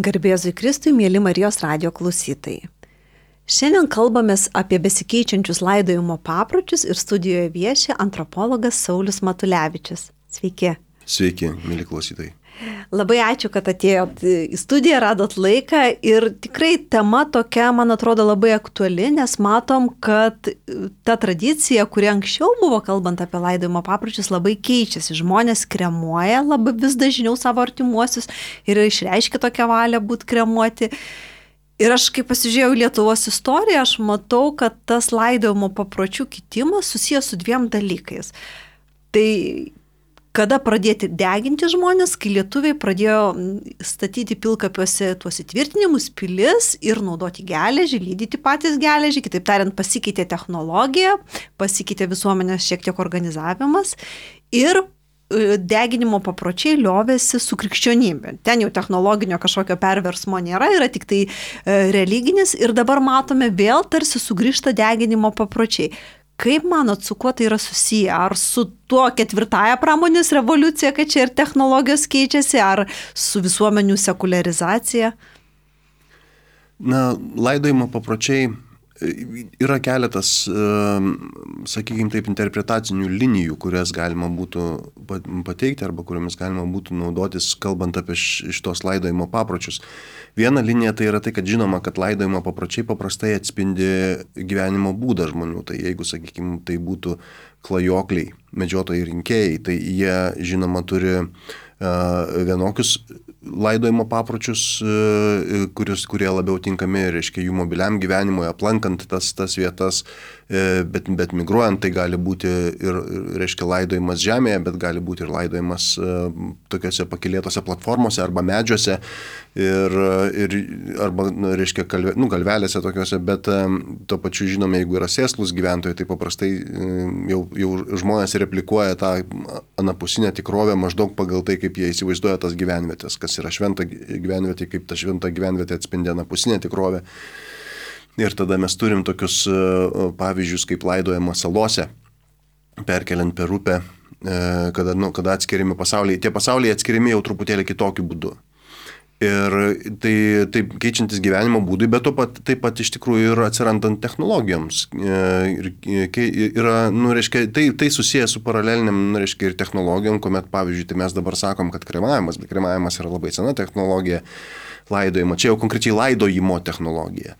Garbėzui Kristui, mėly Marijos radijo klausytojai. Šiandien kalbamės apie besikeičiančius laidojimo papročius ir studijoje vieši antropologas Saulius Matulevičius. Sveiki. Sveiki, mėly klausytojai. Labai ačiū, kad atėjot į studiją, radot laiką ir tikrai tema tokia, man atrodo, labai aktuali, nes matom, kad ta tradicija, kuri anksčiau buvo kalbant apie laidojimo papročius, labai keičiasi. Žmonės kremuoja labai vis dažniau savo artimuosius ir išreiškia tokią valią būti kremuoti. Ir aš, kai pasižiūrėjau Lietuvos istoriją, aš matau, kad tas laidojimo papročių kitimas susijęs su dviem dalykais. Tai kada pradėti deginti žmonės, kai lietuviai pradėjo statyti pilkapiuose tuos įtvirtinimus, pilis ir naudoti geležį, lydyti patys geležį, kitaip tariant, pasikeitė technologija, pasikeitė visuomenės šiek tiek organizavimas ir deginimo papročiai liovėsi su krikščionybė. Ten jau technologinio kažkokio perversmo nėra, yra tik tai religinis ir dabar matome vėl tarsi sugrįžta deginimo papročiai. Kaip manot, su kuo tai yra susiję? Ar su tuo ketvirtąją pramonės revoliucija, kad čia ir technologijos keičiasi, ar su visuomenių sekuliarizacija? Na, laidojimo papročiai yra keletas, sakykime taip, interpretacinių linijų, kurias galima būtų pateikti arba kuriomis galima būtų naudotis, kalbant apie šitos laidojimo papročius. Viena linija tai yra tai, kad žinoma, kad laidojimo papročiai paprastai atspindi gyvenimo būdą žmonių. Tai jeigu, sakykime, tai būtų klajokliai, medžiotojai rinkėjai, tai jie, žinoma, turi vienokius laidojimo papročius, kurie labiau tinkami, reiškia, jų mobiliam gyvenimui, aplankant tas vietas, bet migruojant tai gali būti ir, reiškia, laidojimas žemėje, bet gali būti ir laidojimas tokiuose pakylėtose platformose arba medžiuose arba, reiškia, galvelėse tokiuose, bet tuo pačiu žinome, jeigu yra sėslūs gyventojai, tai paprastai jau žmonės replikuoja tą anapusinę tikrovę maždaug pagal tai, kaip jie įsivaizduoja tas gyvenvietės, kas yra šventa gyvenvietė, kaip ta šventa gyvenvietė atspindi anapusinę tikrovę. Ir tada mes turim tokius pavyzdžius, kaip laidojama salose, perkeliant per upę, kada atskiriami pasauliai. Tie pasauliai atskiriami jau truputėlį kitokiu būdu. Ir tai keičiantis gyvenimo būdui, bet taip pat iš tikrųjų ir atsirandant technologijoms. Yra, reiškia, tai susijęs su paraleliniam, reiškia, ir technologijom, kuomet, pavyzdžiui, tai mes dabar sakom, kad kremavimas yra labai sena technologija, laidojimo. Čia jau konkrečiai laidojimo technologija.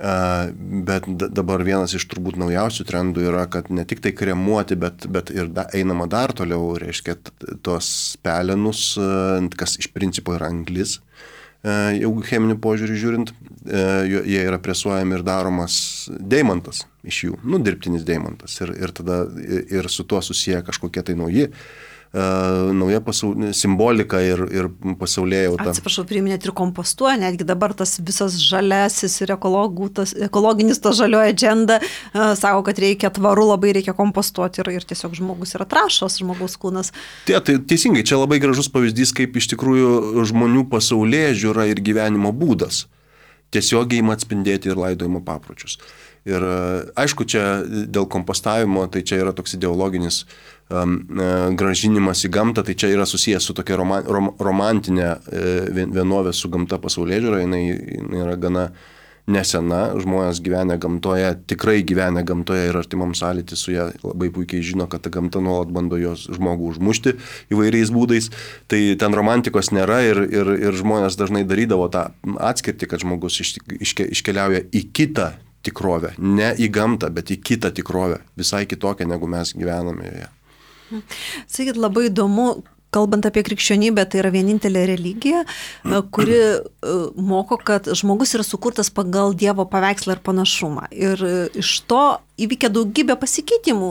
Bet dabar vienas iš turbūt naujausių trendų yra, kad ne tik tai kremuoti, bet ir einama dar toliau, reiškia, tos pelenus, kas iš principo yra anglis, jau cheminių požiūrį žiūrint, jie yra presuojami ir daromas deimantas iš jų, dirbtinis deimantas. Ir tada ir su tuo susiję kažkokie tai nauja simbolika ir pasaulėjauta. Atsiprašau, priminėt ir kompostuoja, netgi dabar tas visas žaliasis ir ekologinis ta žalioji agenda sako, kad reikia tvaru, labai reikia kompostuoti ir tiesiog žmogus yra trąšos, žmogaus kūnas. Tai teisingai, čia labai gražus pavyzdys, kaip iš tikrųjų žmonių pasaulėžiūra ir gyvenimo būdas tiesiogiai ima atspindėti ir laidojimo papročius. Ir aišku, čia dėl kompostavimo, tai čia yra toks ideologinis grąžinimas į gamtą, tai čia yra susijęs su tokia romantinė vienovė su gamta pasaulėžiūra, jinai yra gana nesena, žmonės gyvenę gamtoje, tikrai gyvenę gamtoje ir artimam sąlytį su ją labai puikiai žino, kad ta gamta nuolat bando jos žmogų užmušti įvairiais būdais, tai ten romantikos nėra ir žmonės dažnai darydavo tą atskirtį, kad žmogus iškeliauja į kitą tikrovę, ne į gamtą, bet į kitą tikrovę, visai kitokią, negu mes gyvename joje. Sakykit, labai įdomu, kalbant apie krikščionybę, tai yra vienintelė religija, kuri moko, kad žmogus yra sukurtas pagal Dievo paveikslą ir panašumą. Ir iš to įvykę daugybę pasikeitimų,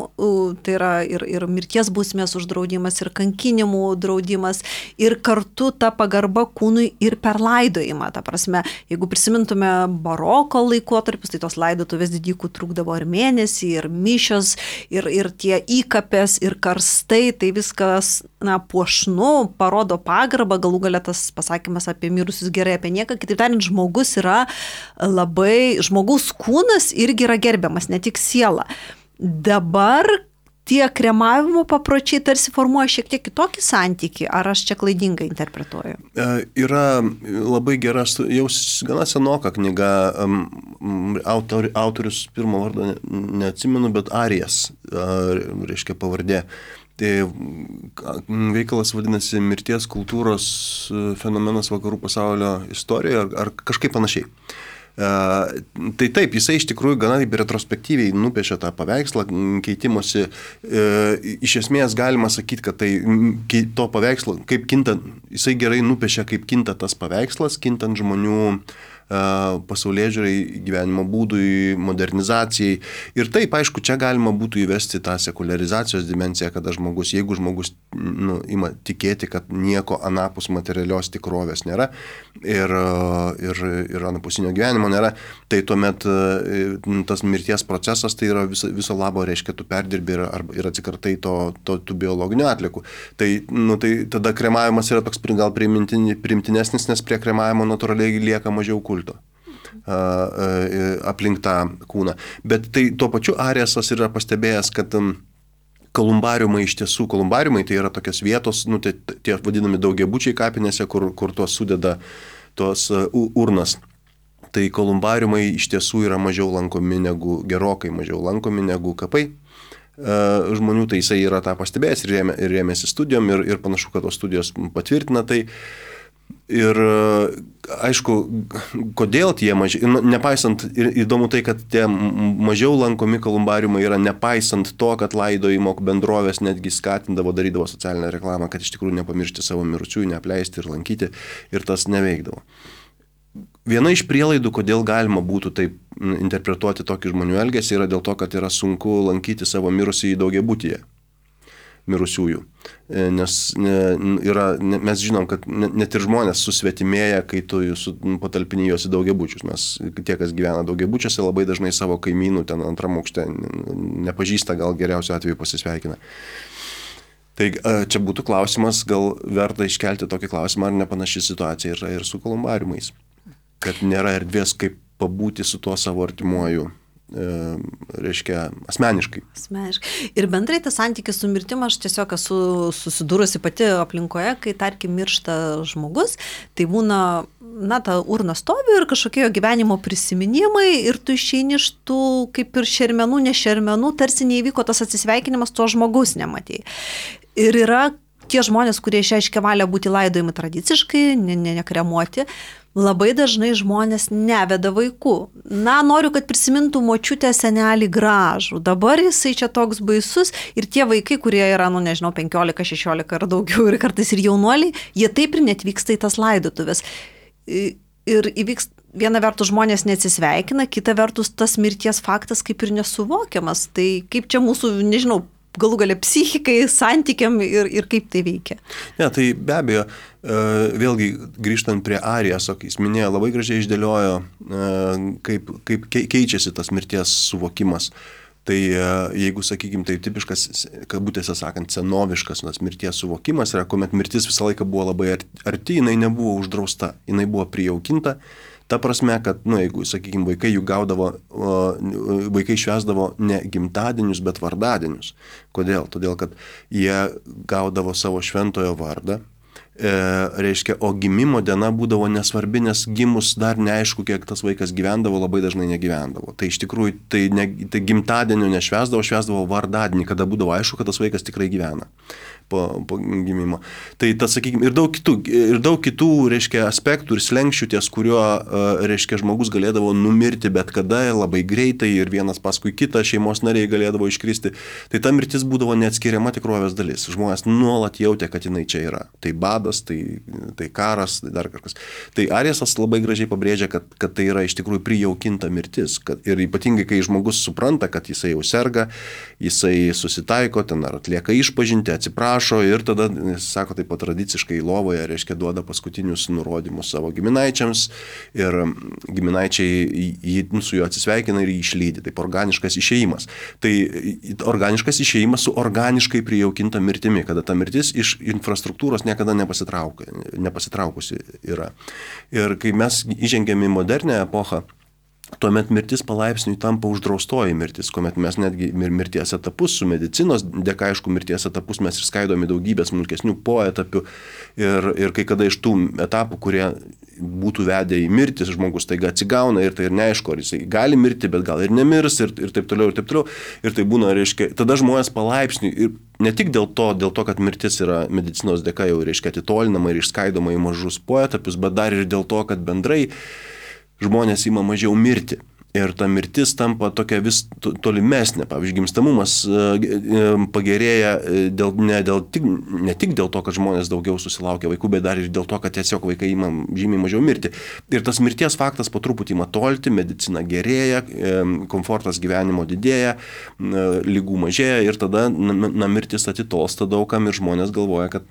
tai yra ir mirties bausmės uždraudimas, ir kankinimų draudimas, ir kartu ta pagarba kūnui ir per laidojimą. Ta prasme, jeigu prisimintume baroko laikotarpius, tai tos laidotuvės didikų trukdavo ir mėnesį, ir mišios, ir tie įkapės, ir karstai, tai viskas, puošnu, parodo pagarbą, galų gale tas pasakymas apie mirusius gerai, apie nieką. Kitaip tariant, žmogus yra žmogaus kūnas irgi yra gerbiamas, ne tik siela. Dabar tie kremavimo papročiai tarsi formuoja šiek tiek kitokį santykį, ar aš čia klaidingai interpretuoju? Yra labai gera, jau gana senoka knyga, autorius pirmo vardą neatsimenu, bet Arijas, reiškia pavardė. Tai veikalas vadinasi Mirties kultūros fenomenas vakarų pasaulio istorijoje ar kažkaip panašiai. Tai taip, jisai iš tikrųjų gana taip retrospektyviai nupiešė tą paveikslą, keitimosi. Iš esmės galima sakyti, kad tai to paveikslo, kaip kinta, jisai gerai nupiešė, kaip kinta tas paveikslas, kintant žmonių pasaulėžiūrai, gyvenimo būdui, modernizacijai. Ir taip, aišku, čia galima būtų įvesti tą sekularizacijos dimensiją, kada žmogus, jeigu žmogus ima tikėti, kad nieko anapus materialios tikrovės nėra ir anapusinio gyvenimo nėra, tai tuomet tas mirties procesas tai yra viso labo, reiškia, tu perdirbi ir atsikartai tų biologinių atliekų. Tai tada kremavimas yra toks gal primtinesnis, nes prie kremavimo natūraliai lieka mažiau kulto aplink tą kūną. Bet tai tuo pačiu Ariasas yra pastebėjęs, kad kolumbariumai iš tiesų, kolumbariumai tai yra tokios vietos, tie vadinami daugiabučiai kapinėse, kur tuos sudeda tos urnas. Tai kolumbariumai iš tiesų yra gerokai mažiau lankomi negu kapai žmonių, tai jisai yra tą pastebėjęs ir rėmėsi studijom ir panašu, kad tos studijos patvirtina tai. Ir aišku, kodėl tie mažiau, nepaisant, ir įdomu tai, kad tie mažiau lankomi kolumbariumai yra nepaisant to, kad laidojimo bendrovės netgi skatindavo, darydavo socialinę reklamą, kad iš tikrųjų nepamiršti savo mirusiųjų, neapleisti ir lankyti, ir tas neveikdavo. Viena iš prielaidų, kodėl galima būtų taip interpretuoti tokį žmonių elgesį, yra dėl to, kad yra sunku lankyti savo mirusį į daugiabutyje mirusiųjų. Nes mes žinom, kad net ir žmonės susvetimėja, kai tu patalpini juos į daugiabučius. Mes, tie, kas gyvena daugiabučiuose, labai dažnai savo kaimynų ten antram aukšte nepažįsta, gal geriausiu atveju pasisveikina. Tai čia būtų klausimas, gal verta iškelti tokį klausimą, ar nepanaši situacija yra ir su kolumbariumais. Kad nėra erdvės, kaip pabūti su tuo savo artimuoju, reiškia, asmeniškai. Ir bendrai tas santykis su mirtim, aš tiesiog esu susidūrusi pati aplinkoje, kai, tarkim, miršta žmogus, tai būna, ta urna stovi ir kažkokie jo gyvenimo prisiminimai ir tu išeini iš tų kaip ir šermenų, ne šermenų, tarsi neįvyko tas atsisveikinimas, to žmogus nematei. Ir yra tie žmonės, kurie išreiškia valią būti laidojami tradiciškai, nekremuoti, labai dažnai žmonės neveda vaikų. Noriu, kad prisimintų močiutę, senelį gražų. Dabar jisai čia toks baisus ir tie vaikai, kurie yra, 15, 16 ar daugiau ir kartais ir jaunuoliai, jie taip ir netvyksta į tas laidotuvės. Ir įvyks, viena vertus žmonės neatsisveikina, kita vertus tas mirties faktas kaip ir nesuvokiamas. Tai kaip čia mūsų, galų galia psichikai, santykiam ir kaip tai veikia. Ne, tai be abejo, vėlgi grįžtant prie Ariaso, jis minėjo, labai gražiai išdėliojo, kaip keičiasi tas mirties suvokimas. Tai jeigu, sakykime, tai tipiškas, kabutėse sakant, senoviškas mirties suvokimas yra, kuomet mirtis visą laiką buvo labai arti, jinai nebuvo uždrausta, jinai buvo prijaukinta. Ta prasme, kad, jeigu, sakykime, vaikai švęsdavo ne gimtadienius, bet vardadienius. Kodėl? Todėl, kad jie gaudavo savo šventojo vardą, reiškia, o gimimo diena būdavo nesvarbi, nes gimus dar neaišku, kiek tas vaikas gyvendavo, labai dažnai negyvendavo. Tai iš tikrųjų, tai gimtadienio švęsdavo vardadienį, kada būdavo aišku, kad tas vaikas tikrai gyvena po gimimo. Tai tas, sakykime, ir daug kitų, reiškia, aspektų ir slenkščių, ties kuriuo, reiškia, žmogus galėdavo numirti bet kada, labai greitai ir vienas paskui kitą šeimos nariai galėdavo iškristi. Tai ta mirtis būdavo neatskiriama tikrovės dalis. Žmonės nuolat jautė, kad jinai čia yra. Tai badas, tai karas, tai dar kažkas. Tai Ariasas labai gražiai pabrėžia, kad tai yra iš tikrųjų prijaukinta mirtis. Ir ypatingai, kai žmogus supranta, kad jisai jau serga, jisai susitaiko, ten ar atlieka išpažintį, atsiprašo ir tada, sako, taip pat tradiciškai lovoje, reiškia, duoda paskutinius nurodymus savo giminaičiams ir giminaičiai su juo atsisveikina ir jį išlydi. Taip organiškas išėjimas. Tai organiškas išėjimas su organiškai prijaukinta mirtimi, kada ta mirtis iš infrastruktūros niekada nepasitraukusi yra. Ir kai mes įžengėme į modernę epochą, tuomet mirtis palaipsniui tampa uždraustoji mirtis, kuomet mes netgi mirties etapus su medicinos dėka, aišku, mirties etapus mes išskaidome daugybės smulkesnių poetapių ir kai kada iš tų etapų, kurie būtų vedę į mirtį, žmogus taiga atsigauna ir tai ir neaišku, ar jisai gali mirti, bet gal ir nemirs ir taip toliau, ir taip toliau. Ir tai būna, reiškia, tada žmonės palaipsniui, ir ne tik dėl to, kad mirtis yra medicinos dėka jau, reiškia, atitolinama ir išskaidoma į mažus poetapius, bet dar ir dėl to, kad bendrai žmonės ima mažiau mirti. Ir ta mirtis tampa tokia vis tolimesnė. Pavyzdžiui, gimstamumas pagerėja ne tik dėl to, kad žmonės daugiau susilaukia vaikų, bet dar ir dėl to, kad tiesiog vaikai ima žymiai mažiau mirti. Ir tas mirties faktas po truputį ima tolti, medicina gerėja, komfortas gyvenimo didėja, lygų mažėja ir tada mirtis atitolsta daugam ir žmonės galvoja, kad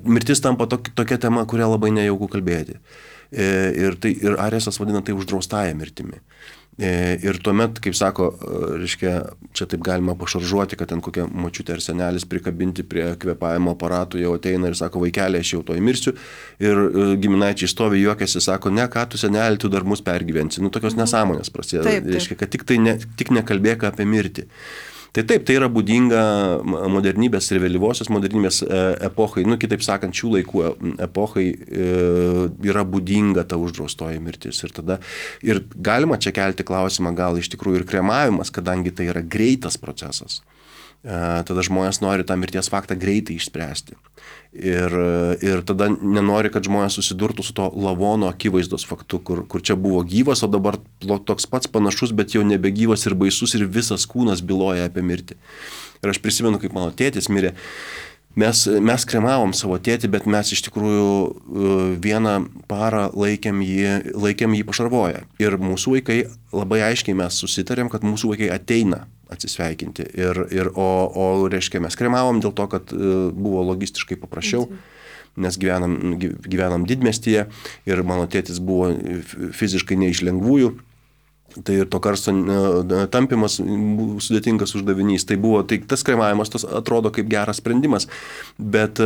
mirtis tampa tokia tema, kurią labai nejauku kalbėti. Ir Ariesas vadina tai uždraustąją mirtimi. Ir tuomet, kaip sako, reiškia, čia taip galima pašaržuoti, kad ten kokia močiutė ar senelis prikabinti prie kvėpavimo aparatų jau ateina ir sako, vaikelė, aš jau toj mirsiu. Ir giminaičiai stovi, juokiasi, sako, ne, ką tu senelį, tu dar mus pergyvensi. Tokios nesąmonės prasideda. Reiškia, kad tik nekalbėk apie mirtį. Tai taip, tai yra būdinga modernybės ir vėlyvosios modernybės epochai, kitaip sakant, šių laikų epochai yra būdinga ta uždraustoji mirtis. Ir galima čia kelti klausimą, gal iš tikrųjų ir kremavimas, kadangi tai yra greitas procesas. Tada žmonės nori tą mirties faktą greitai išspręsti. Ir tada nenori, kad žmonės susidurtų su to lavono akivaizdos faktu, kur čia buvo gyvas, o dabar toks pats panašus, bet jau nebegyvas ir baisus ir visas kūnas byloja apie mirtį. Ir aš prisimenu, kaip mano tėtis mirė. Mes kremavom savo tėtį, bet mes iš tikrųjų vieną parą laikėm jį pašarvoję. Ir mūsų vaikai, labai aiškiai mes susitarėm, kad mūsų vaikai ateina atsisveikinti. O reiškia, mes kremavom dėl to, kad buvo logistiškai paprasčiau, nes gyvenam didmiestyje ir mano tėtis buvo fiziškai ne iš lengvųjų. Tai ir to karsto tampimas sudėtingas uždavinys. Tai tas kremavimas atrodo kaip geras sprendimas, bet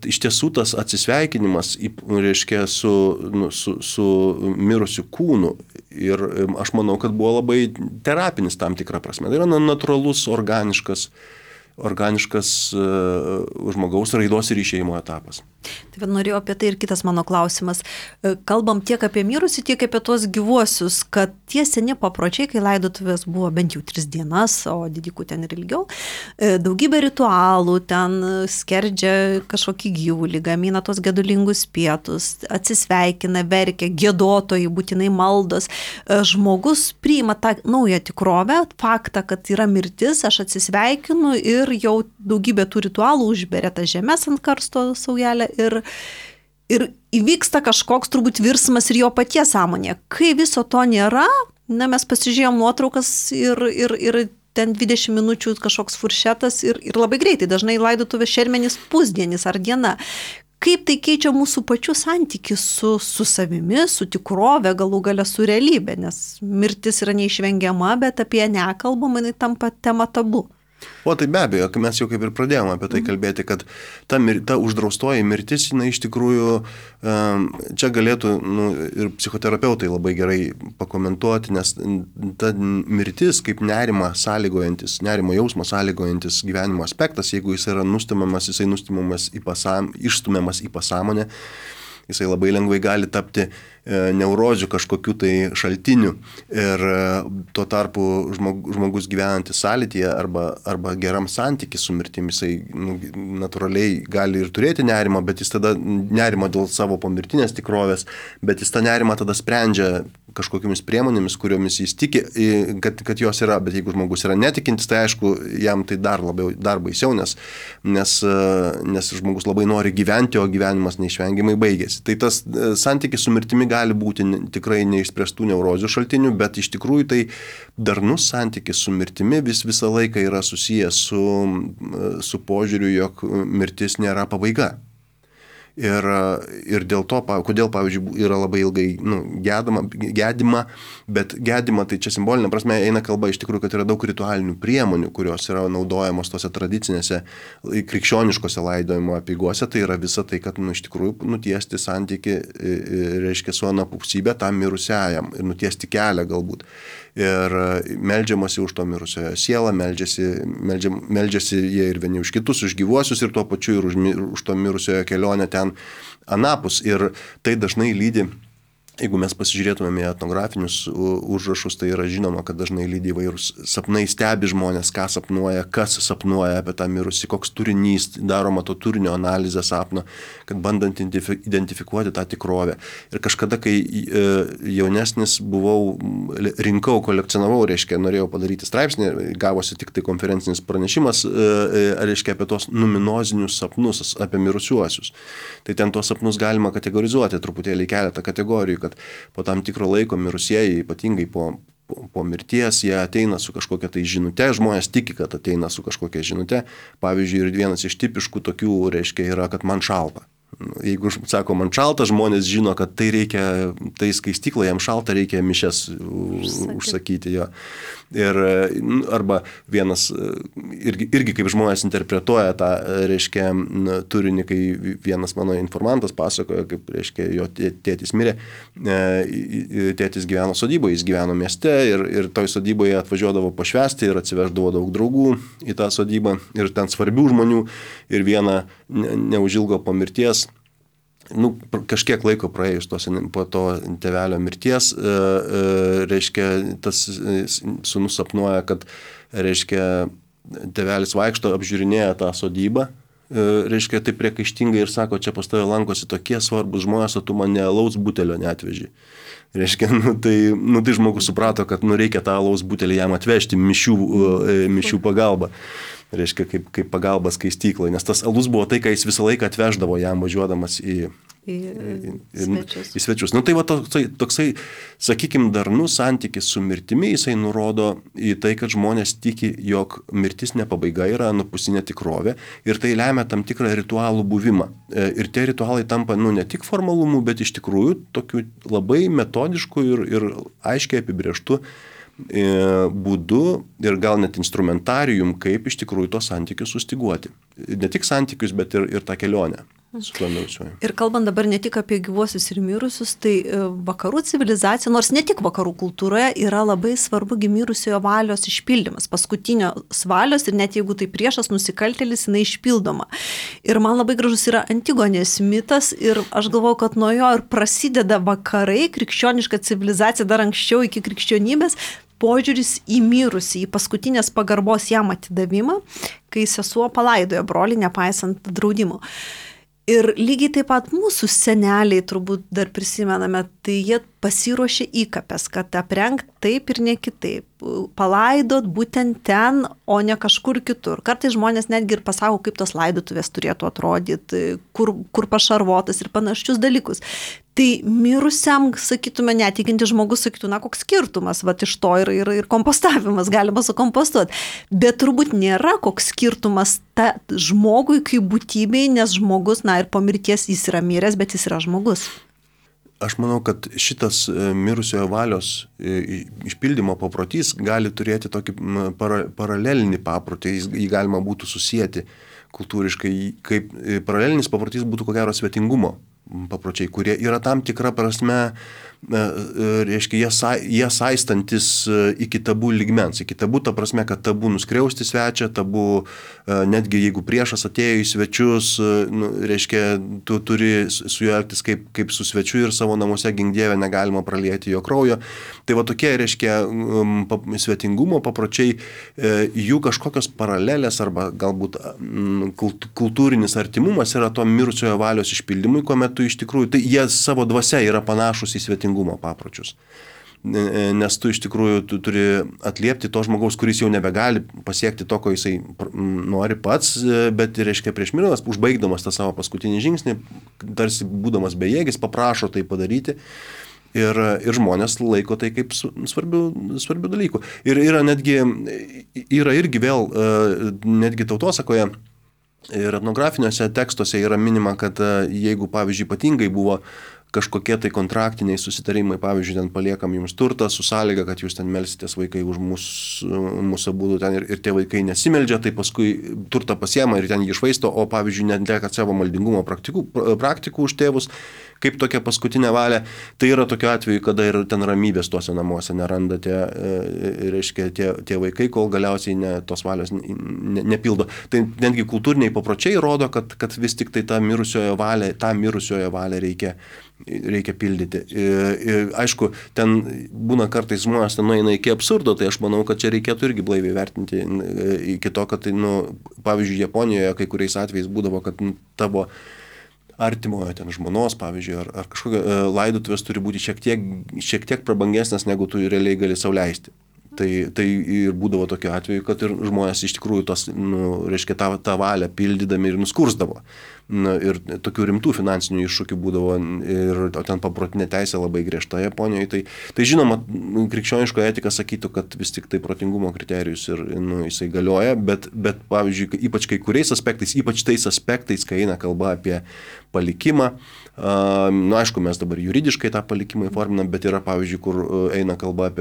iš tiesų tas atsisveikinimas, reiškia, su mirusiu kūnu ir aš manau, kad buvo labai terapinis tam tikrą prasme. Tai yra natūralus, organiškas žmogaus raidos ir išėjimo etapas. Tai norėjau apie tai ir kitas mano klausimas. Kalbam tiek apie mirusį, tiek apie tuos gyvuosius, kad tie seni papročiai, kai laidotuvės buvo bent jau 3 dienas, o didikų ten ir ilgiau, daugybė ritualų, ten skerdžia kažkokį gyvulį, gamina tos gedulingus pietus, atsisveikina, verkia, giedotojai, būtinai maldos. Žmogus priima tą naują tikrovę, faktą, kad yra mirtis, aš atsisveikinu ir jau daugybė tų ritualų užberia tą žemės ant karsto saujelę ir įvyksta kažkoks turbūt virsmas ir jo paties sąmonė. Kai viso to nėra, mes pasižiūrėjom nuotraukas ir ten 20 minučių kažkoks furšetas ir labai greitai, dažnai laidotuvės šermenys pusdienis ar diena. Kaip tai keičia mūsų pačių santykį su savimi, su tikrove, galų gale su realybė, nes mirtis yra neišvengiama, bet apie ją nekalbama, jinai tampa tema tabu. O tai be abejo, mes jau kaip ir pradėjome apie tai kalbėti, kad ta uždraustoji mirtis, jinai iš tikrųjų, čia galėtų ir psichoterapeutai labai gerai pakomentuoti, nes ta mirtis kaip nerimo jausmo sąlygojantis gyvenimo aspektas, jeigu jis yra išstumiamas į pasąmonę, jisai labai lengvai gali tapti neurozių kažkokiu tai šaltiniu ir tuo tarpu žmogus gyvenantis sąlytyje arba geram santykiui su mirtimi, jisai natūraliai gali ir turėti nerimą, bet jis tada nerimą dėl savo pomirtinės tikrovės, bet jis tą nerimą tada sprendžia kažkokiamis priemonėmis, kuriomis jis tiki, kad jos yra, bet jeigu žmogus yra netikintis, tai aišku, jam tai dar baisiau, nes žmogus labai nori gyventi, o gyvenimas neišvengiamai baigėsi. Tai tas santykis su mirtimi gali būti tikrai neišspręstų neurozių šaltinių, bet iš tikrųjų tai darnus santykis su mirtimi visą laiką yra susijęs su požiūriu, jog mirtis nėra pabaiga. Ir dėl to, kodėl, pavyzdžiui, yra labai ilgai gedima, bet gedima tai čia simbolinė prasme eina kalba iš tikrųjų, kad yra daug ritualinių priemonių, kurios yra naudojamos tose tradicinėse krikščioniškose laidojimo apeigose, tai yra visa tai, kad iš tikrųjų nutiesti santyki, reiškia su anapusybė tam mirusiajam ir nutiesti kelią galbūt. Ir meldžiamasi už to mirusiojo sielą, meldžiasi jie ir vieni už kitus, už gyvuosius ir tuo pačiu ir už to mirusiojo kelionę ten anapus. Ir tai dažnai lydi, jeigu mes pasižiūrėtumėme į etnografinius užrašus, tai yra žinoma, kad dažnai lydi įvairūs sapnai, stebi žmonės, ką sapnuoja, kas sapnuoja apie tą mirusį, koks turinys, daroma to turinio analizė sapno, kad bandant identifikuoti tą tikrovę. Ir kažkada, kai jaunesnis buvau, rinkau, kolekcionavau, reiškia, norėjau padaryti straipsnį, gavosi tik tai konferencinis pranešimas, reiškia, apie tos numinozinius sapnus, apie mirusiuosius. Tai ten tuos sapnus galima kategorizuoti, truputėlį keletą kategorijų, kad po tam tikro laiko mirusieji, ypatingai po mirties, jie ateina su kažkokia tai žinute, žmonės tiki, kad ateina su kažkokia žinute. Pavyzdžiui, ir vienas iš tipiškų tokių, reiškia, yra, kad man šalta. Jeigu sako man šalta, žmonės žino, kad tai reikia, tai skaistykla, jam šalta, reikia mišes užsakyti jo. Ir arba vienas, irgi kaip žmonės interpretuoja tą, reiškia, turinį, kai vienas mano informantas pasakoja, kaip, reiškia, jo tėtis mirė, tėtis gyveno sodyboje, jis gyveno mieste ir toj sodyboje atvažiuodavo pašvęsti ir atsiveždavo daug draugų į tą sodybą ir ten svarbių žmonių ir vieną neužilgo po mirties, kažkiek laiko praėjus po to tėvelio mirties, reiškia, tas sūnus sapnuoja, kad, reiškia, tėvelis vaikšto, apžiūrinėja tą sodybą, reiškia, taip priekaištingai ir sako, čia pas tave lankosi tokie svarbus žmonės, o tu man alaus butelio neatveži. Reiškia, tai žmogus suprato, kad reikia tą alaus butelį jam atvežti mišių pagalba. Reiškia, kaip pagalba skaistyklai, nes tas alus buvo tai, ką jis visą laiką atveždavo jam važiuodamas į svečius. Tai va toksai, sakykime, darnus santykis su mirtimi, jisai nurodo į tai, kad žmonės tiki, jog mirtis ne pabaiga, yra anapusinė tikrovė ir tai lemia tam tikrą ritualų buvimą. Ir tie ritualai tampa ne tik formalumu, bet iš tikrųjų tokiu labai metodišku ir aiškiai apibrėžtu būdu ir gal net instrumentarijum, kaip iš tikrųjų tos santykius sustiguoti. Ne tik santykius, bet ir tą kelionę su tuo mirusiuoju. Ir kalbant dabar ne tik apie gyvuosius ir mirusius, tai vakarų civilizacija, nors ne tik vakarų kultūroje, yra labai svarbu mirusiojo valios išpildymas, paskutinios valios ir net jeigu tai priešas nusikaltėlis, jinai išpildoma. Ir man labai gražus yra Antigonės mitas ir aš galvoju, kad nuo jo ir prasideda vakarai, krikščioniška civilizacija dar anksčiau iki krikščionybės, požiūris į mirusį, į paskutinės pagarbos jam atidavimą, kai sesuo palaidojo brolį, nepaisant draudimo. Ir lygiai taip pat mūsų seneliai, turbūt dar prisimename, tai jie pasiruošė įkapes, kad aprengt taip ir ne kitaip, palaidot būtent ten, o ne kažkur kitur. Kartais žmonės netgi ir pasako, kaip tos laidotuvės turėtų atrodyti, kur pašarvotas ir panašius dalykus. Tai mirusiam, sakytume, netikinti žmogus sakytų, koks skirtumas, iš to ir kompostavimas, galima sukompostuoti. Bet turbūt nėra koks skirtumas žmogui kaip būtybei, nes žmogus, ir po mirties jis yra miręs, bet jis yra žmogus. Aš manau, kad šitas mirusiojo valios išpildymo paprotys gali turėti tokį paralelinį paprotį, jį galima būtų susijęti kultūriškai, kaip paralelinis paprotys būtų ko gero svetingumo papročiai, kurie yra tam tikra prasme, reiškia, jie saistantis iki tabų lygmens. Iki tabų ta prasme, kad tabų nuskriausti svečią, tabų netgi jeigu priešas atėjo į svečius, reiškia, tu turi su juo elgtis kaip su svečiu ir savo namuose gink Dieve negalima pralieti jo kraujo. Tai va tokie, reiškia, svetingumo papročiai, jų kažkokios paralelės arba galbūt kultūrinis artimumas yra to mirusiojo valios išpildymui, kuomet tu iš tikrųjų, tai jie savo dvasia yra panašus į svetingumo papročius. Nes tu iš tikrųjų tu turi atliepti to žmogaus, kuris jau nebegali pasiekti to, ko jisai nori pats, bet, reiškia, prieš mirdamas, užbaigdamas tą savo paskutinį žingsnį, tarsi būdamas bejėgis, paprašo tai padaryti. Ir žmonės laiko tai kaip svarbių dalykų. Ir yra irgi vėl, netgi tautosakoje, Ir etnografiniuose tekstuose yra minima, kad jeigu, pavyzdžiui, ypatingai buvo kažkokie tai kontraktiniai susitarimai, pavyzdžiui, ten paliekam jums turtą su sąlyga, kad jūs ten melsitės vaikai už mūsų būdų ten ir tie vaikai nesimeldžia, tai paskui turtą pasiema ir ten jį išvaisto, o pavyzdžiui, netlieka savo maldingumo praktikų už tėvus, kaip tokia paskutinė valia. Tai yra tokiu atveju, kada ir ten ramybės tuose namuose neranda tie vaikai, kol galiausiai tos valios nepildo. Tai netgi kultūriniai papročiai rodo, kad vis tik tai tą mirusiojo valią reikia pildyti. Ir, aišku, ten būna kartais žmonės ten nueina iki absurdo, tai aš manau, kad čia reikėtų irgi blaiviai vertinti iki to, kad, pavyzdžiui, Japonijoje kai kuriais atvejais būdavo, kad tavo artimojo ten žmonos, pavyzdžiui, ar kažkokia laidotuvės turi būti šiek tiek prabangesnės, negu tu realiai gali sau leisti. Tai ir būdavo tokiu atveju, kad ir žmonės iš tikrųjų reiškia tą valią pildydami ir nuskursdavo. Ir tokių rimtų finansinių iššūkių būdavo, o ten paprotinė teisė labai griežta Japonijoje. Tai žinoma, krikščioniško etika sakytų, kad vis tik tai protingumo kriterijus ir jisai galioja, bet pavyzdžiui, ypač kai kuriais aspektais, ypač tais aspektais, kai eina kalba apie palikimą, aišku, mes dabar juridiškai tą palikimą įforminam, bet yra, pavyzdžiui, kur eina kalba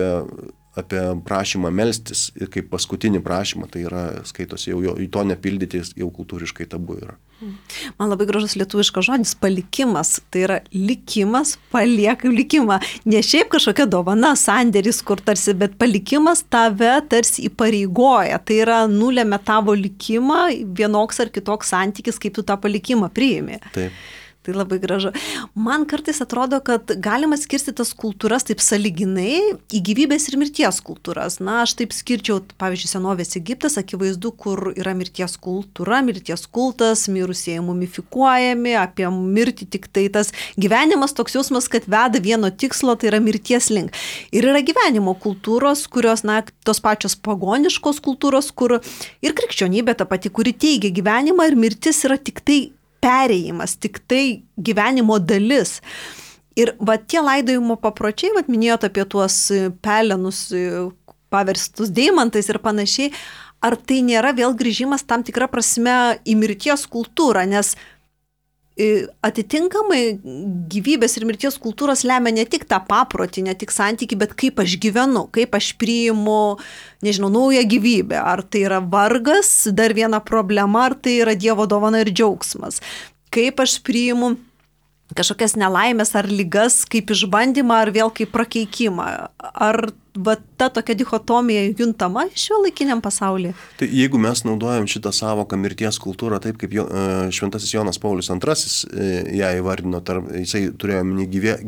apie prašymą melstis ir kaip paskutinį prašymą, tai yra skaitosi jau į to nepildyti, jau kultūriškai tabu yra. Man labai gražus lietuviškas žodis palikimas, tai yra likimas, paliekam likimą. Ne šiaip kažkokia dovana, sandėris, kur tarsi, bet palikimas tave tarsi įpareigoja, tai yra nulėmė tavo likimą, vienoks ar kitoks santykis, kaip tu tą palikimą priimi. Taip. Tai labai gražu. Man kartais atrodo, kad galima skirsti tas kultūras taip sąlyginai į gyvybės ir mirties kultūras. Na, aš taip skirčiau, pavyzdžiui, senovės Egiptas, akivaizdu, kur yra mirties kultūra, mirties kultas, mirusieji mumifikuojami, apie mirtį tik tai tas gyvenimas toks jausmas, kad veda vieno tikslo, tai yra mirties link. Ir yra gyvenimo kultūros, kurios, tos pačios pagoniškos kultūros, kur ir krikščionybė ta pati, kuri teigia gyvenimą ir mirtis yra tik tai perėjimas, tik tai gyvenimo dalis. Ir tie laidojimo papročiai, minėjot apie tuos pelenus paverstus deimantais ir panašiai, ar tai nėra vėl grįžimas tam tikrą prasme į mirties kultūrą, nes atitinkamai gyvybės ir mirties kultūros lemia ne tik tą paprotį, ne tik santykį, bet kaip aš gyvenu, kaip aš priimu, naują gyvybę. Ar tai yra vargas, dar viena problema, ar tai yra Dievo dovana ir džiaugsmas. Kaip aš priimu kažkokias nelaimės ar ligas kaip išbandymą, ar vėl kaip prakeikimą. Ar ta tokia dichotomija juntama šiuolaikiniam pasaulyje? Tai jeigu mes naudojam šitą savoką mirties kultūrą taip, kaip šventasis Jonas Paulius II ją įvardino, jisai turėjo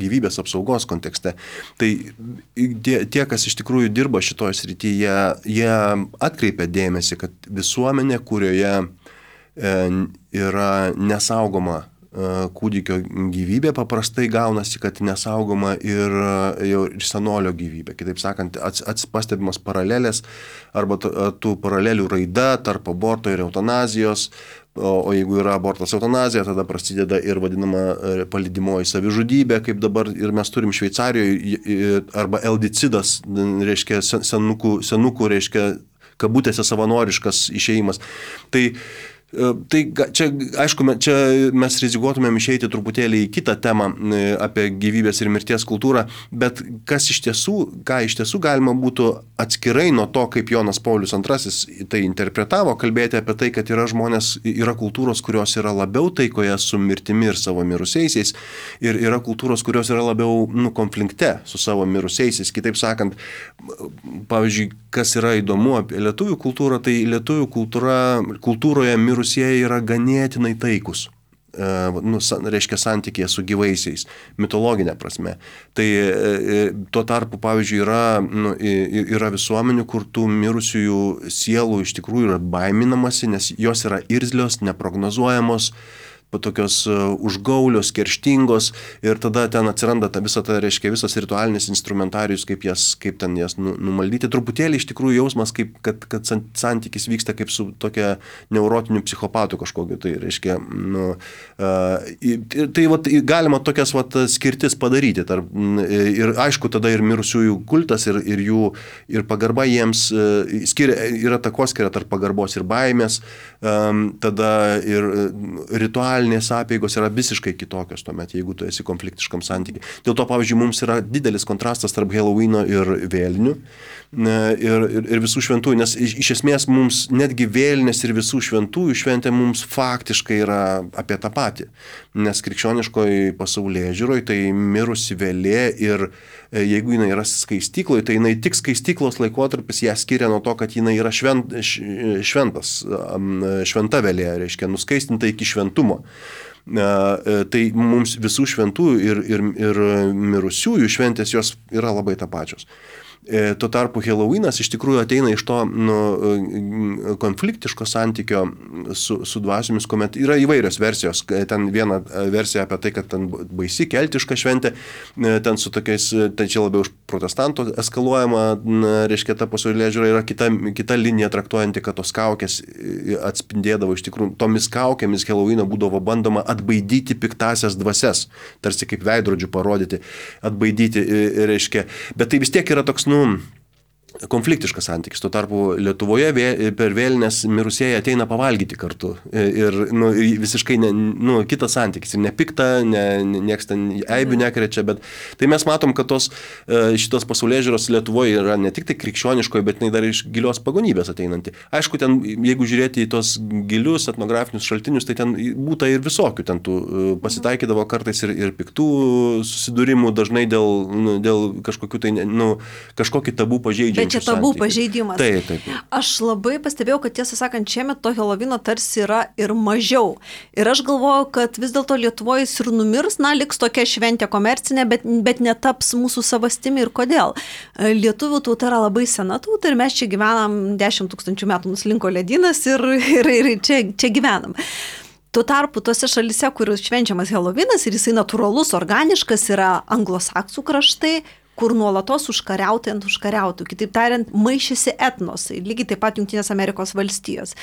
gyvybės apsaugos kontekste, tai tie, kas iš tikrųjų dirba šitoje srityje, jie atkreipia dėmesį, kad visuomenė, kurioje yra nesaugoma kūdikio gyvybė, paprastai gaunasi, kad nesaugoma ir senolio gyvybė. Kitaip sakant, pastebimas paralelės arba tų paralelių raida tarp aborto ir eutanazijos, o jeigu yra abortas eutanazija, tada prasideda ir vadinama palydimoji savižudybė, kaip dabar ir mes turim Šveicarijoje, arba eldicidas, reiškia senukų, reiškia kabutėse savanoriškas išėjimas. Tai čia, aišku, čia mes rizikuotumėm išeiti truputėlį į kitą temą apie gyvybės ir mirties kultūrą, bet ką iš tiesų galima būtų atskirai nuo to, kaip Jonas Paulius II tai interpretavo, kalbėti apie tai, kad yra kultūros, kurios yra labiau taikoje su mirtimi ir savo mirusiaisiais, ir yra kultūros, kurios yra labiau konflikte su savo mirusiaisiais. Kitaip sakant, pavyzdžiui, kas yra įdomu apie lietuvių kultūrą, tai lietuvių kultūroje mirusieji yra ganėtinai taikus, reiškia santykėje su gyvaisiais, mitologinė prasme. Tai tuo tarpu, pavyzdžiui, yra visuomenių, kur tų mirusiųjų sielų iš tikrųjų yra baiminamasi, nes jos yra irzlios, neprognozuojamos, tokios užgaulios, kerštingos ir tada ten atsiranda visas ritualinis instrumentarius, kaip ten jas numaldyti. Truputėlį iš tikrųjų jausmas, kad santykis vyksta kaip su tokia neurotiniu psichopatu kažkokiu. Tai reiškia, tai galima tokias skirtis padaryti. Ir aišku, tada ir mirusiųjų kultas, ir pagarba jiems yra takoskira tarp pagarbos ir baimės, tada ir ritualinės apeigos yra visiškai kitokios tuomet, jeigu tu esi konfliktiškam santykiui. Dėl to, pavyzdžiui, mums yra didelis kontrastas tarp Helovyno ir vėlinių ir visų šventųjų, nes iš esmės mums netgi vėlinės ir visų šventųjų šventė mums faktiškai yra apie tą patį, nes krikščioniškoje pasaulėžiūroje tai mirusi vėlė ir jeigu jinai yra skaistykloje, tai jinai tik skaistyklos laikotarpis ją skiria nuo to, kad jinai yra šventa vėlė, reiškia nuskaistinta iki šventumo. Tai mums visų šventųjų ir mirusiųjų šventės jos yra labai tapačios. Tuo tarpu Helovynas iš tikrųjų ateina iš to konfliktiško santykio su dvasiomis, kuomet yra įvairios versijos. Ten viena versija apie tai, kad ten baisi keltiška šventė, ten su tokiais, ten čia labiau iš protestantų eskaluojama, reiškia, ta pasaulėžiūra yra kita linija traktuojanti, kad tos kaukės atspindėdavo iš tikrųjų, tomis kaukėmis Helovyno būdavo bandoma atbaidyti piktasias dvasias, tarsi kaip veidrodžių parodyti, atbaidyti, reiškia, bet tai vis tiek yra toks, konfliktiškas santykis. Tuo tarpu Lietuvoje per vėlinės mirusieji ateina pavalgyti kartu. Ir visiškai kitas santykis. Ir nepikta, nieks ten eibių nekrečia, bet tai mes matom, kad šitos pasaulėžiūros Lietuvoje yra ne tik tai krikščioniškoje, bet dar iš gilios pagonybės ateinanti. Aišku, ten, jeigu žiūrėti į tos gilius etnografinius šaltinius, tai ten būta ir visokių. Ten pasitaikydavo kartais ir piktų susidūrimų, dažnai dėl kažkokių tai, kažkokį tabų pažeidžiančių. Bet čia tabų pažeidimas. Taip. Aš labai pastebėjau, kad tiesą sakant, šiemet to Helovyno tarsi yra ir mažiau. Ir aš galvoju, kad vis dėlto Lietuvoje jis ir numirs, liks tokia šventė komercinė, bet netaps mūsų savastimi. Ir kodėl? Lietuvių tauta yra labai sena tauta ir mes čia gyvenam 10 000 metų, nuslinko ledynas ir čia gyvenam. Tuo tarpu tose šalise, kur švenčiamas Helovynas ir jisai natūralus, organiškas, yra anglosaksų kraštai, kur nuolatos užkariauti ant užkariautų. Kitaip tariant, maišėsi etnosai, lygiai taip pat Jungtinės Amerikos valstijos.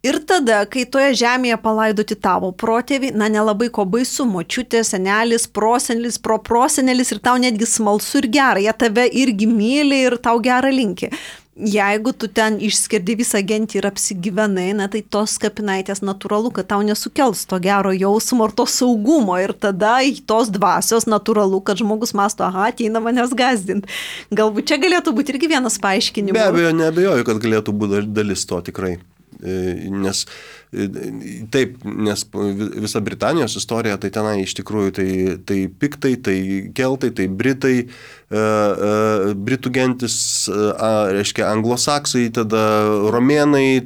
Ir tada, kai toje žemėje palaidoti tavo protėviai, nelabai ko baisu, močiutė, senelis, prosenelis, proprosenelis ir tau netgi smalsu ir gera, jie tave irgi myli ir tau gerą linki. Jeigu tu ten išskirdi visą gentį ir apsigyvenai, tai tos kapinaitės natūralu, kad tau nesukels to gero jausmo ir to saugumo ir tada tos dvasios natūralu, kad žmogus masto, ateina manęs gąsdinti. Galbūt čia galėtų būti irgi vienas paaiškinimas. Be abejo, neabejoju, kad galėtų būti dalis to tikrai. Nes visa Britanijos istorija, tai tenai iš tikrųjų tai piktai, tai keltai, tai britai, britų gentis, reiškia anglosaksai, tada romėnai,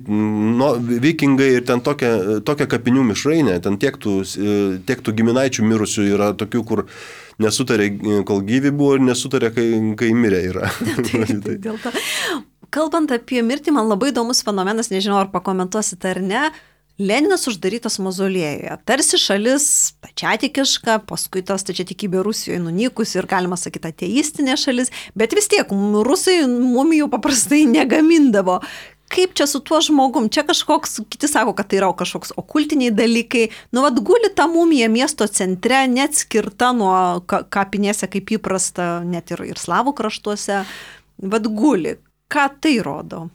vikingai ir ten tokia kapinių mišrainė, ten tiek tų giminaičių mirusių yra tokių, kur nesutarė, kol gyvi buvo ir nesutarė, kai mirė yra. Tai dėl to. Kalbant apie mirtį, man labai įdomus fenomenas, nežinau, ar pakomentuosite ar ne, Leninas uždarytas mauzoliejuje. Tarsi šalis stačiatikiška, paskui ta stačiatikybė Rusijoje nunykusi ir galima sakyti ateistinė šalis, bet vis tiek rusai mumijų paprastai negamindavo. Kaip čia su tuo žmogum? Čia kažkoks, kiti sako, kad tai yra kažkoks okultiniai dalykai. Guli ta mumija miesto centre, net skirta nuo kapinėse kaip įprasta, net ir slavų kraštuose. Guli. Ką tai rodo?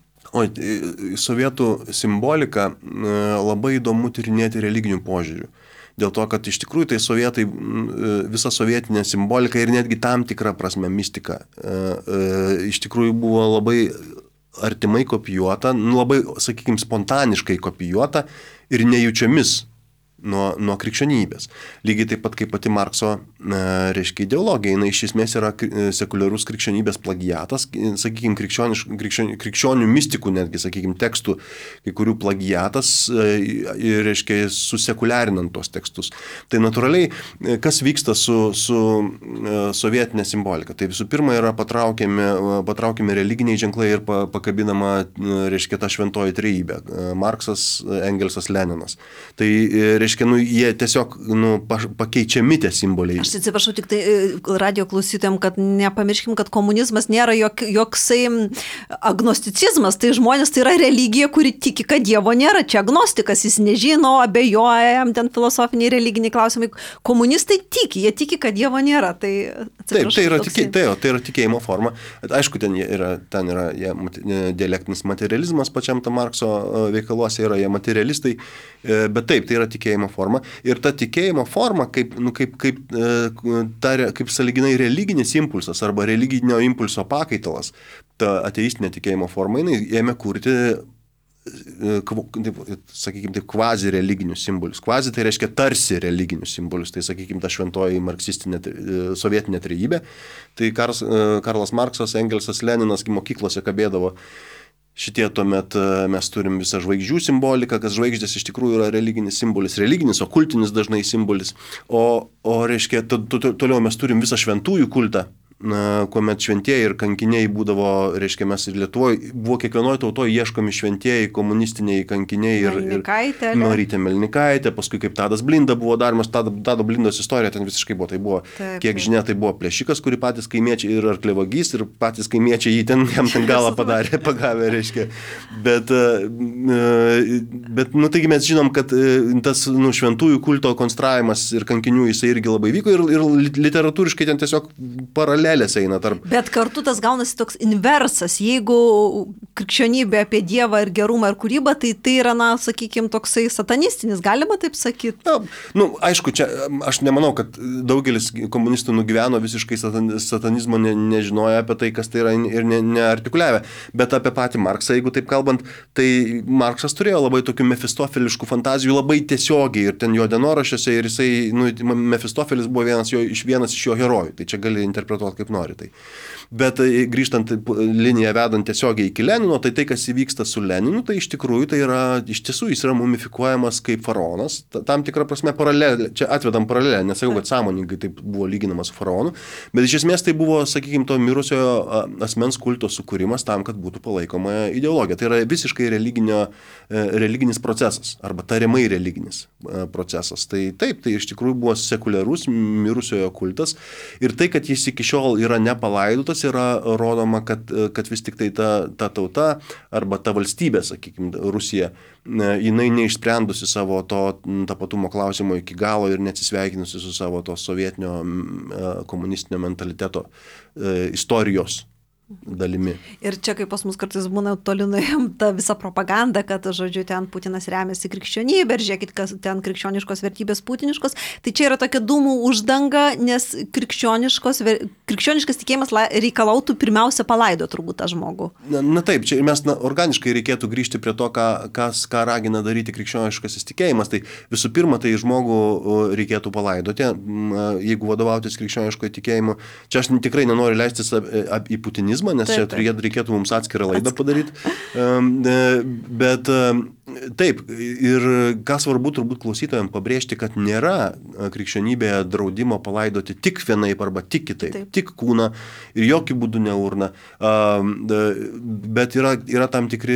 Sovietų simbolika labai įdomu tyrinėti religinių požiūrių. Dėl to, kad iš tikrųjų tai sovietai, visa sovietinė simbolika ir netgi tam tikra prasme mistika iš tikrųjų buvo labai artimai kopijuota, labai, sakykime, spontaniškai kopijuota ir nejučiomis nuo krikščionybės. Lygiai taip pat kaip pati Markso, reiškia, ideologija, jinai iš esmės yra sekuliarus krikščionybės plagiatas, sakykime, krikščionių mistikų netgi, sakykime, tekstų, kai kurių plagiatas, reiškia, susekuliarinant tos tekstus. Tai natūraliai, kas vyksta su sovietinė simbolika? Tai visų pirma yra patraukiami religiniai ženklai ir pakabinama, reiškia, ta šventoji trejybė. Marksas, Engelsas, Leninas. Tai, reiškia, reiškia, jie tiesiog pakeičiami tie simboliai. Aš atsiprašau tik tai radio klausytojams, kad nepamirškim, kad komunizmas nėra joksai agnosticizmas, tai žmonės tai yra religija, kuri tiki, kad Dievo nėra. Čia agnostikas, jis nežino, abejoja, jam ten filosofiniai, religiniai klausimai. Komunistai tiki, jie tiki, kad Dievo nėra. Tai, taip, tai yra tikėjimo forma. Aišku, ten yra dialektinis materializmas pačiam tam Markso veikaluose yra, jie materialistai, bet taip, tai yra tikėjimo forma. Ir ta tikėjimo forma, kaip sąlyginai religinis impulsas arba religinio impulso pakaitalas, ta ateistinė tikėjimo forma, jinai ėmė kurti, sakykime, taip, kvazi religinius simbolius. Kvazi tai reiškia tarsi religinius simbolius. Tai, sakykime, ta šventoji marksistinė sovietinė trejybė. Tai Karlas Marksas, Engelsas, Leninas mokyklose kabėdavo. Šitie tuomet mes turim visą žvaigždžių simboliką, kas žvaigždės iš tikrųjų yra religinis simbolis, religinis, okultinis dažnai simbolis. O reiškia, toliau mes turim visą šventųjų kultą, kuomet šventieji ir kankiniai būdavo, reiškia, mes ir Lietuvoje, buvo kiekvienoje tautoje ieškomi šventieji, komunistiniai kankiniai ir Marytė Melnikaitė, paskui kaip Tadas Blinda buvo daromas, Tado Blindos istorija ten visiškai buvo, tai buvo, kiek žinia, tai buvo plėšikas, kurį patys kaimiečiai ir arklevagys, ir patys kaimiečiai jam ten galą padarė, pagavę, reiškia. Bet taigi mes žinom, kad tas šventųjų kulto konstravimas ir kankinių jisai irgi labai vyko ir literatūriškai ten tiesiog paraleliai eina tarp. Bet kartu tas gaunasi toks inversas. Jeigu krikščionybė apie Dievą ir gerumą ir kūrybą, tai yra, sakykime, toksai satanistinis, galima taip sakyti? Aišku, čia aš nemanau, kad daugelis komunistų nugyveno visiškai satanizmo, nežinojo apie tai, kas tai yra ir neartikuliavę. Bet apie patį Marksą, jeigu taip kalbant, tai Marksas turėjo labai tokių mefistofeliškų fantazijų, labai tiesiogiai ir ten jo dienoraščiuose ir jisai, Mefistofelis buvo vienas iš jo herojų. Tai čia gali interpretuoti kaip nori. Tai. Bet grįžtant liniją vedant tiesiogiai iki Lenino, tai kas įvyksta su Leninu, tai iš tikrųjų tai yra, iš tiesų jis yra mumifikuojamas kaip faraonas, tam tikrą prasme paralelė, čia atvedam paralelę, nesakau, kad sąmoningai taip buvo lyginamas su faraonu, bet iš esmės tai buvo, sakykime, to mirusiojo asmens kulto sukūrimas tam, kad būtų palaikoma ideologija. Tai yra visiškai religinis procesas, arba tariamai religinis procesas. Tai taip, tai iš tikrųjų buvo sekuliarus mirusiojo kultas ir tai, kad jis iki šiol yra nepalaidotas, yra rodoma, kad vis tik tai ta tauta arba ta valstybė, sakykime, Rusija, jinai neišsprendusi savo to tapatumo klausimo iki galo ir neatsisveikinusi su savo to sovietinio komunistinio mentaliteto istorijos dalimi. Ir čia, kaip pas mus kartais būna toli nuėjom, ta visa propaganda, kad, žodžiu, ten Putinas remiasi krikščionybė ir žiūrėkit, kas ten krikščioniškos vertybės putiniškos, tai čia yra tokia dūmų uždanga, nes krikščioniškas tikėjimas reikalautų pirmiausia palaido turbūt tą žmogų. Na taip, čia mes organiškai reikėtų grįžti prie to, ką ragina daryti krikščioniškasis tikėjimas. Tai visų pirma, tai žmogų reikėtų palaidoti, jeigu vadovautis krikščioniškojo tikėjimu. Čia aš tikrai nenoriu leistis į putinizmą, nes čia reikėtų mums atskirą laidą padaryti. Bet taip, ir ką svarbu turbūt klausytojams pabrėžti, kad nėra krikščionybėje draudimo palaidoti tik vienaip arba tik kitaip, tik kūną ir jokių būdų ne urną. Bet yra tam tikri,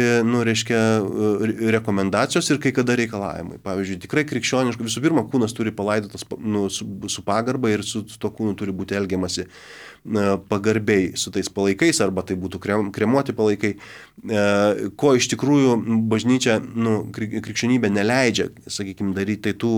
rekomendacijos ir kai kada reikalavimai. Pavyzdžiui, tikrai krikščioniškai, visų pirma, kūnas turi palaidotas su pagarba ir su to kūnu turi būti elgiamasi pagarbiai su tais palaikais, arba tai būtų kremuoti palaikai, ko iš tikrųjų bažnyčia, krikščionybė neleidžia, sakykime, daryti. Tai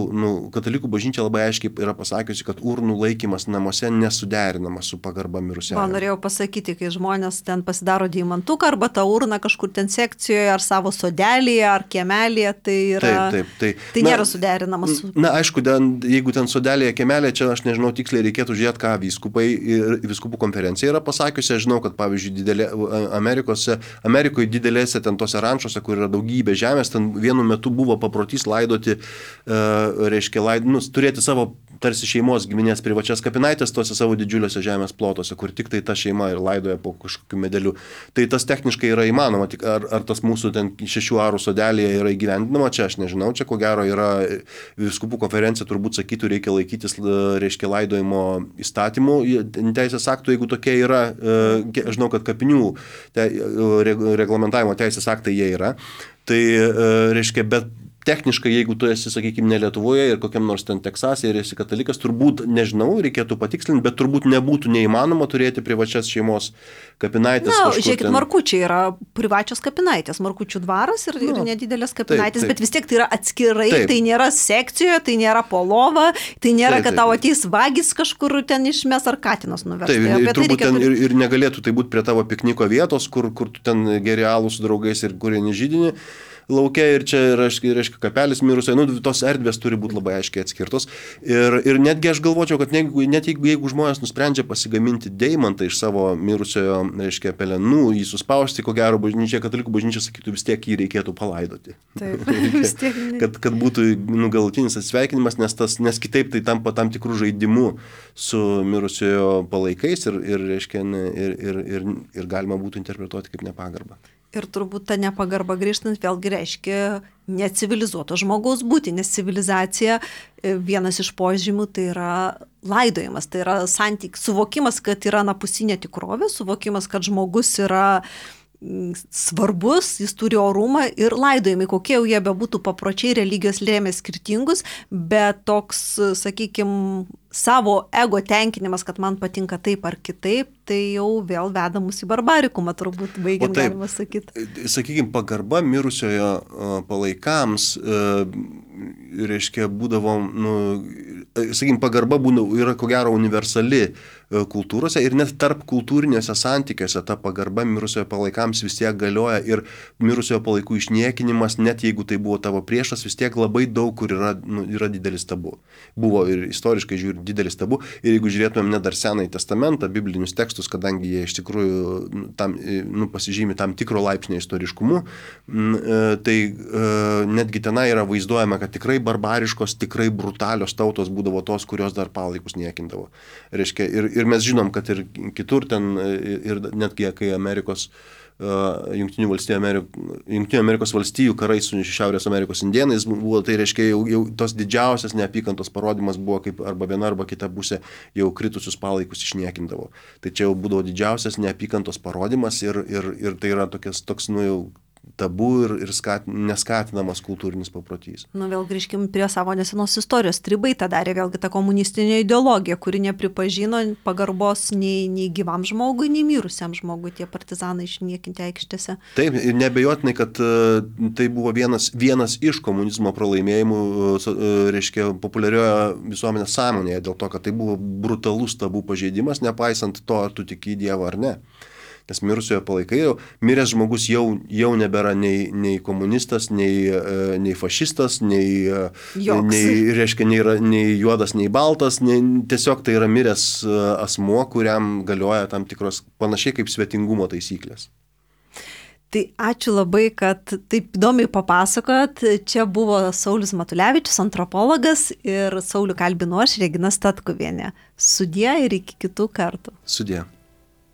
katalikų bažnyčia labai aiškiai yra pasakiusi, kad urnų laikymas namuose nesuderinamas su pagarba mirusiam. Norėjau pasakyti, kai žmonės ten pasidaro deimantuką arba tą urną kažkur ten sekcijoje, ar savo sodelėje, ar kiemelėje, tai yra. Tai nėra suderinamas su. Na, aišku, jeigu ten sodelėje, kiemelėje, čia aš nežinau tiksliai, reikėtų žiūrėti, ką vyskupai ir vyskupų konferencija yra pasakiusi. Aš žinau, kad pavyzdžiui Amerikoje didelėse ten tose rančose, kur yra daugybė žemės, ten vienu metu buvo paprotys laidoti, turėti savo tarsi šeimos giminės privačias kapinaitės tose savo didžiuliuose žemės plotuose, kur tik tai ta šeima ir laidoja po kažkokiu medeliu. Tai tas techniškai yra įmanoma, tik ar tas mūsų ten 6 arų sodelėje yra įgyvendinama, čia aš nežinau, čia ko gero yra vyskupų konferencija turbūt sakytų, reikia laikytis, laidojimo įstatymų, teisės aktų, jeigu tokie yra, aš žinau, kad kapinių reglamentavimo teisės aktai jie yra, tai reiškia, bet techniškai, jeigu tu esi, sakykime, ne Lietuvoje ir kokiam nors ten Teksase ir esi katalikas, turbūt, nežinau, reikėtų patikslinti, bet turbūt nebūtų neįmanoma turėti privačias šeimos kapinaitės. Na, žiūrėkit, Markučiai yra privačios kapinaitės, Markučių dvaras ir nedidelės kapinaitės, bet vis tiek tai yra atskirai, tai nėra sekcijoje, tai nėra po lova, tai nėra, kad tau ateis vagis kažkur ten išmes ar katinas nuves. Taip, turbūt ten ir negalėtų tai būti prie tavo pikniko vietos, kur tu ten geri alų su draugais ir kurie židinį laukia ir čia reiškia kapelis mirusio, tos erdvės turi būti labai aiškiai atskirtos. Ir netgi aš galvočiau, kad net jeigu žmonės nusprendžia pasigaminti deimantą iš savo mirusiojo, reiškia, pelenų, jį suspausti, ko gero bažnyčia, katalikų bažnyčia sakytų, vis tiek jį reikėtų palaidoti. Taip, vis tiek. kad būtų galutinis atsisveikinimas, nes kitaip tai tampa tam tikrų žaidimų su mirusiojo palaikais ir reiškia, ir galima būtų interpretuoti kaip nepagarbą. Ir turbūt ta nepagarba grįžtant vėlgi reiškia necivilizuoto žmogaus būti, nes civilizacija vienas iš požymių tai yra laidojimas, tai yra suvokimas, kad yra anapusinė tikrovė, suvokimas, kad žmogus yra svarbus, jis turi orumą ir laidojimai, kokie jau jie bebūtų papročiai, religijos lėmė skirtingus, bet toks, sakykime, savo ego tenkinimas, kad man patinka taip ar kitaip, tai jau vėl veda mus į barbarikumą, turbūt baigiant galima sakyti. Sakykime, pagarba mirusiojo palaikams, reiškia, būdavo, sakykime, pagarba yra ko gero universali kultūrose ir net tarp kultūrinėse santykiuose ta pagarba mirusiojo palaikams vis tiek galioja ir mirusiojo palaikų išniekinimas, net jeigu tai buvo tavo priešas, vis tiek labai daug kur yra didelis tabu. Buvo ir istoriškai žiūrint didelis tabu ir jeigu žiūrėtumėm net dar Senąjį testamentą, biblinius tekstus, kadangi jie iš tikrųjų pasižymi tam tikro laipsnio istoriškumu, tai netgi tenai yra vaizduojama, kad tikrai barbariškos, tikrai brutalios tautos būdavo tos, kurios dar palaikus niekindavo. Reiškia, ir mes žinom, kad ir kitur ten, ir netgi kai Jungtinių Amerikos valstijų karai su Šiaurės Amerikos indėnais buvo, tai reiškia jau tos didžiausias neapykantos parodimas buvo, kaip arba viena arba kita pusė jau kritusius palaikus išniekindavo. Tai čia jau būdavo didžiausias neapykantos parodimas ir tai yra toks jau tabu ir neskatinamas kultūrinis paprotys. Vėl grįžkim prie savo nesenos istorijos. Stribai tą darė vėlgi ta komunistinė ideologija, kuri nepripažino pagarbos nei gyvam žmogui, nei mirusiam žmogui, tie partizanai išniekinti aikštėse. Taip, ir nebejotinai, kad tai buvo vienas iš komunizmo pralaimėjimų, reiškia, populiarioje visuomenės sąmonėje, dėl to, kad tai buvo brutalus tabų pažeidimas, nepaisant to, ar tu tiki į Dievą ar ne. Nes mirusiojo palaikai, miręs žmogus jau nebėra nei komunistas, nei fašistas, nei juodas, nei baltas, tiesiog tai yra miręs asmuo, kuriam galioja tam tikros panašiai kaip svetingumo taisyklės. Tai ačiū labai, kad taip įdomiai papasakojot. Čia buvo Saulius Matulevičius, antropologas, ir Saulių kalbinu aš, Regina Statkuvienė. Sudie ir iki kitų kartų. Sudie.